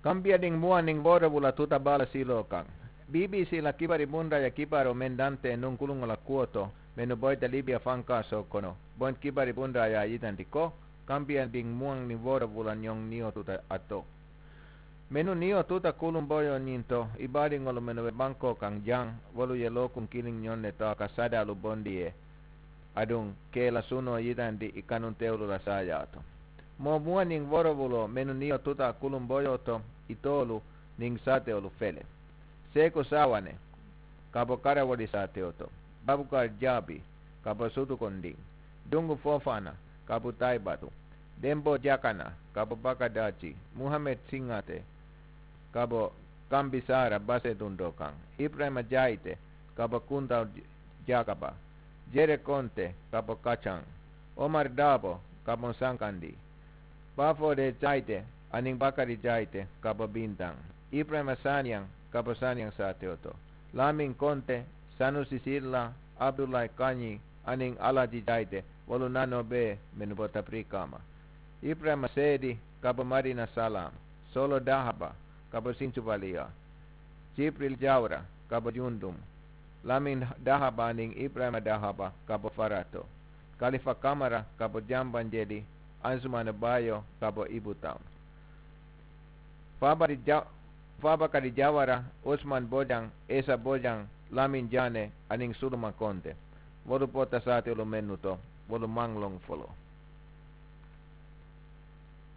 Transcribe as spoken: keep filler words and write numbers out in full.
Kambiyadiŋ muwaŋ niŋ woorowula tuta baala siiloo kaŋ. Bbc la kibari bundaaya kibaaroo meŋ dantee nuŋ kuluŋo la kuwo to, mennu boyita libiya fankaasoo kono, bonti kibari bundaaya ye a yitandi ko, kambiyadiŋ muwaŋ niŋ woorowula ñoŋ niyo tuta a to. Mennu niyo tuta kuluŋ boyoo ñiŋ to, i baadiŋolu mennu be bankoo kaŋ jaŋ, wolu ye lookuŋ kiliŋ ñoŋ ne to a ka sadaalu bondi ye, aduŋ ka i la sunoo yitandi i kanuntewolu la saayaa to. Moo muwaŋ niŋ woorowuloo mennu niyo tuta kuluŋ boyoo to, itoolu niŋ saatewolu fele: seeku saawane ka bo karawoli saatewo to, babukar jaabi ka bo sutukundiŋ, jungu foofaana ka bo taybatu, demboo jakana ka bo bakadaaji, muhammed siŋate ka bo kambi saara baseedundoo kaŋ, iburayima jaayite ka bo kuntaw jakaba, jere konte ka bo kacaŋ, omar daabo ka bo sankandi, baafoode jaayite aniŋ bakari jaayite ka bo bintaŋ, iburayima saaniyaŋ ka bo saaniyaŋ saatewo to, laamiŋ konte, sanusi silla, abudulayi kañi aniŋ alaaji jaayite, wolu naanoo bee mennu bota birikaa ma, iburayima seedi ka bo madina salaam, soolo dahaba ka bo sincubaliyoo, jibril jawra ka bo jundumu, lamin dahaba aniŋ iburayima dahaba ka bo farato, kalifa kamara ka bo jambanjeli, ansumana bayo ka bo ibutaŋ, faabakari jawara, usman bojaŋ, esa bojaŋ, lamin jaane aniŋ suluma konte, wolu bota saatolu mennu to, wolu maŋ loŋ foloo.